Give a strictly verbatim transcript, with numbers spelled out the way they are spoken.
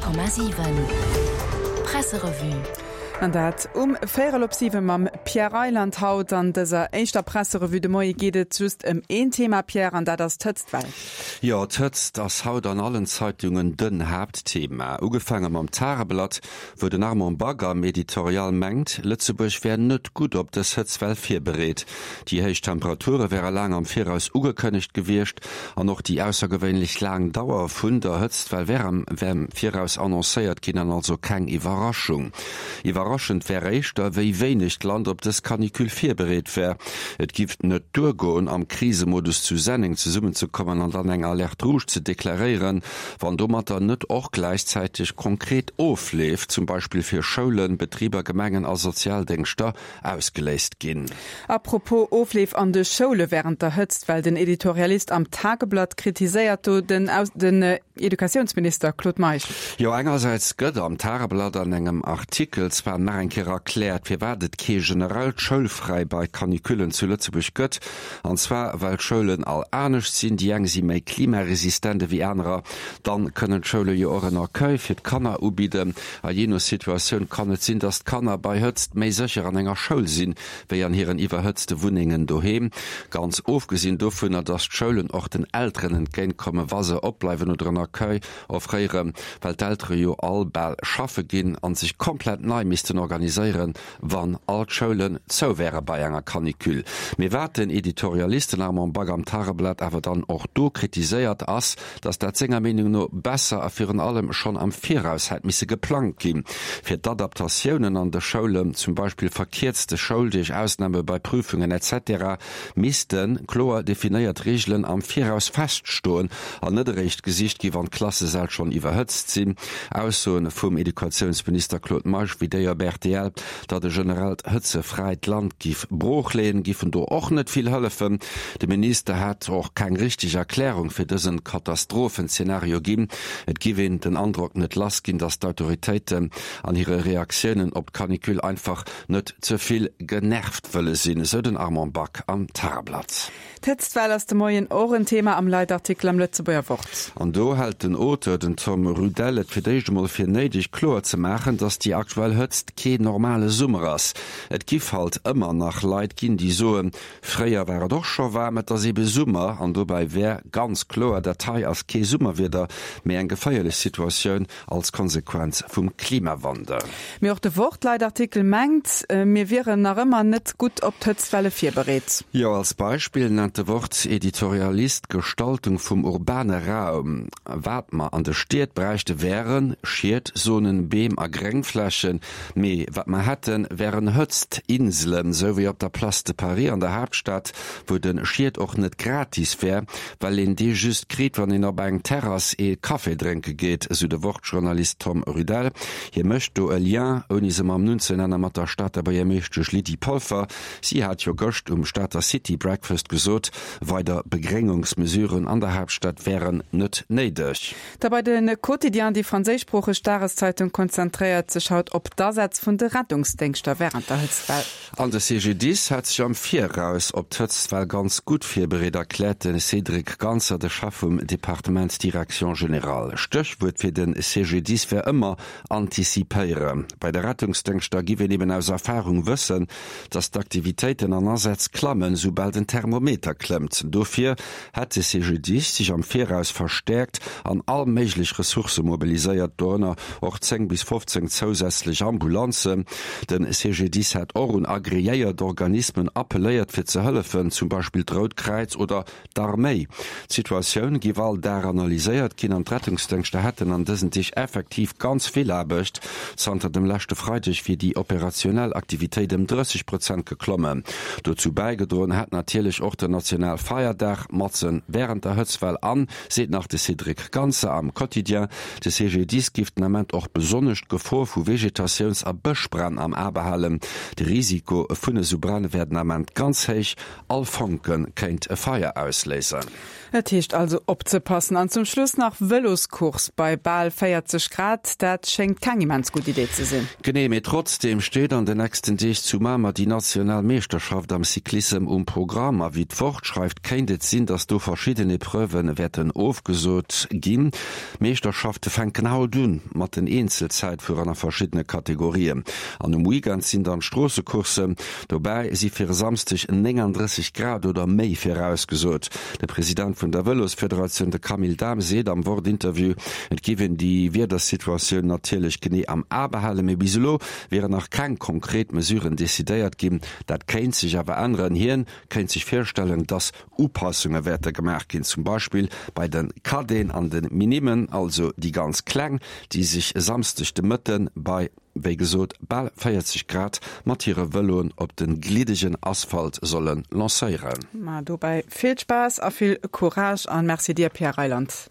Komma siwen Presserevue. An dat um véierel op siwe mam Pierre Reyland. Haut an dëser éischter Presserevue de Moie geet et just ëm een Thema, Pierre, an dat ass d'Hëtztwell. Jo, d'Hëtzt ass haut an allen Zeitungen den Haaptthema. Ugefaange mam Tageblatt, wou den Armand Back am Editorial mengt, Lëtzebuerg wär net gutt op dës Hëtztwell virbereet. Déi héich Temperature wäre laang am Viraus ugekënnegt gewiescht an och déi aussergewéinlech laang Dauer vun der Hëtztwell wär am Viraus annoncéiert ginn an also keng Iwwerraschung. Iwwerraschend wär éischter, wéi wéineg d'Land op dës Canicule virbereet wär. Et giff net duergoen, am Krisemodus zu Senneng zesummenzekommen an dann eng Alerte rouge ze deklaréieren, wann domatter net och gläichzäiteg konkret Ofleef, zum Beispill fir Schoulen, Betriber, Gemengen a Sozialdéngschter, ausgeléist ginn. Apropos Ofleef an de Schoule wärend der Hëtztwell, den Editorialist am Tageblatt kritiséiert do den den Educatiounsminister Claude Meisch. Jo, engersäits gëtt am Tageblatt an engem Artikel zwar nach eng Kéier erkläert, firwat et kee generellt Schoulfräi bei Canicullen zu Lëtzebuerg gëtt, an zwar well d'Schoulen all anescht sinn, déi eng si méi klimaresistent ewéi anerer, dann kënnen d'Schoule jo och en Accueil fir d'Kanner ubidden a jee no Situatioun kann et sinn, dass d'Kanner bei Hëtzt méi sécher an enger Schoul sinn, wéi an hiren iwwerhëtzte Wunnengen doheem. Ganz ofgesinn dovunner, dass d'Schoulen och den Elteren entgéintkommen, wa se opbleiwen oder en Accueil offréieren, well d'Eltere jo all bal schaffe ginn a sech komplett nei missten organiséieren, wann all d'Schoulen zou wäre bei enger Canicule. Mee wat den Editorialist, den Armand Back am Tageblatt awer dann och do kritiséiert, ass, dass dat senger Meenung no besser a virun allem schonn am Viraus hätt misse geplangt ginn, fir d'Adaptatiounen an de Schoulen, zum Beispill verkierzte Schouldeeg, Ausname bei Prüfungen etc. Misste kloer definéiert Reegelen am Viraus feststoen an net eréischt gesicht gi wann d'Klassesäll schonn iwwerhëtzt sinn. Aussoen vum Educatiounsminister Claude Meisch wéi déi op rtl, datt e generellt hëtzefräit Land giff brooch leeën, giffen do och net vill hëllefen. De Minister hätt och keng richteg Erklärung fir dësen Katastrophenzeenario ginn. Et giff een den Androck net lass ginn, datt d'Autoritéiten an hire Reaktiounen op d'Canicule einfach net ze vill genervt wëlle sinn, esou den Armand Back am Tageblatt. D'Hëtztwell ass de Moien och en Thema am Leitartikel am Lëtzebuerger Wort. An do hält den Auteur, den Tom Rudel, et fir d'éischt emol fir néideg, kloer ze maachen, datt déi aktuell Hëtzt keen normale Summer ass. Et giff halt ëmmer nach Leit ginn, déi soen, fréier war et och scho waarm, et ass ebe Summer. An dobäi wär ganz kloer, dat hei ass kee Summerwieder, mee eng geféierlech Situatioun als Konsequenz vum Klimawandel. Mee och de Wort-Leitartikel mengt, mir wieren nach ëmmer net gutt op d'Hëtztwelle virbereet. Jo, als Beispill nennt de Wort-Editorialist d'Gestaltung vum urbane Raum. Wat mer an de Stied bräichte wären Schietzonen, Beem a Gréngflächen. Mee wat mer hätten, wären Hëtztinselen, sou wéi op der Place de Paris an der Haaptstad, wou de Schiet och net gratis wär, well een dee just kritt, wann een op eng Terrass ee Café drénke geet, sou de Wort-Journalist Tom Rudel. Hie mécht do e Lien, ouni se mam Numm ze nennen, mat der Stater Buergermeeschtesch Lydie Polfer. Si hat jo gëscht um Stater City Breakfast gesot, weider Begréngungsmesuren an der Haaptstad wären net néideg. Da bei de Quotidien, déi franséischsproocheg Dageszeitung konzentréiert sech haut op d'Asätz vun de Rettungsdéngschter wärend der Hëtztwell. An de CGDIS hätt sech am Viraus op d'Hëtztwell ganz gutt virbereet, erkläert de Cédric Ganser, de Chef vum Departement Direction Générale. Stéchwuert fir de CGDIS wär ëmmer antizipéieren. Bei de Rettungsdéngschter giff een eben aus Erfarung wëssen, datt d'Aktivitéiten an Asätz klammen, soubal den Thermometer klëmmt. Dofir hätt de CGDIS sech am Viraus verstäerkt an all méiglech Ressourcë mobiliséiert, dorënner och zéng bis fofzéng zousätzlech Ambulanzen. De CGDIS hätt och un agreéiert Organismen appelléiert fir ze hëllefen, zum Beispill d'Rout Kräiz oder d'Arméi. D'Situatioun géif all Dag analyséiert ginn an d'Rettungsdéngschter hätten an dësen Deeg effektiv ganz vill Aarbecht. Zanter dem leschte Freideg wier déi operationell Aktivitéit ëm drësseg Prozent geklommen. Dozou bäigedroen hätt natierlech och den Nationalfeierdag matzen wärend der Hëtztwell an, seet nach de Cédric Ganser am Quotidien. De CGDIS géif den Ament och besonnesch d'Gefor vu Vegetatiouns Buedems a Bëschbränn am A behalen. De Risiko vun esou Bränn wär den Ament ganz héich, all Fonke kéint e Feier ausléisen. Et heescht also opzepassen. An zum Schluss nach Vëloscourse bei bal véierzeg Grad, dat schéngt keng immens gutt Idee ze sinn. Genee, mee trotzdeem steet an den nächsten Deeg zu Mamer déi national Meeschterschaft am Cyclissem um Programm. A wéi d'Wort schreift, kéint et sinn, datt do verschidden Epreuven wäerten ofgesot ginn. D'Meeschterschafte fänken haut un mat den Eenzelzäitfueren a verschiddene Kategorien. An um Weekend sinn dann d'Stroossecourssen. Dobäi si fir e Samsdeg nénganddrësseg Grad oder méi virausgesot. De President vun der Vëlosfederatioun, de Camille Dahm, seet am Wort-Interview, et géif een déi Wiedersituatioun natierlech genee am A behalen, mee bis elo wieren nach keng konkret Mesuren decidéiert ginn. Dat kéint sech awer änneren. Hien kéint sech virstellen, datt Upassunge wäerte gemaach ginn, zum Beispill bei de Cadeten an de Minimen, also déi ganz Kleng, déi sech e Samsdeg de Mëtte bei, wéi gesot, bal véierzeg Grad mat hire Vëloen op de gliddegen Asphalt solle lancéieren. Ma dobäi vill Spaass a vill Courage an Merci dir, Pierre Reyland.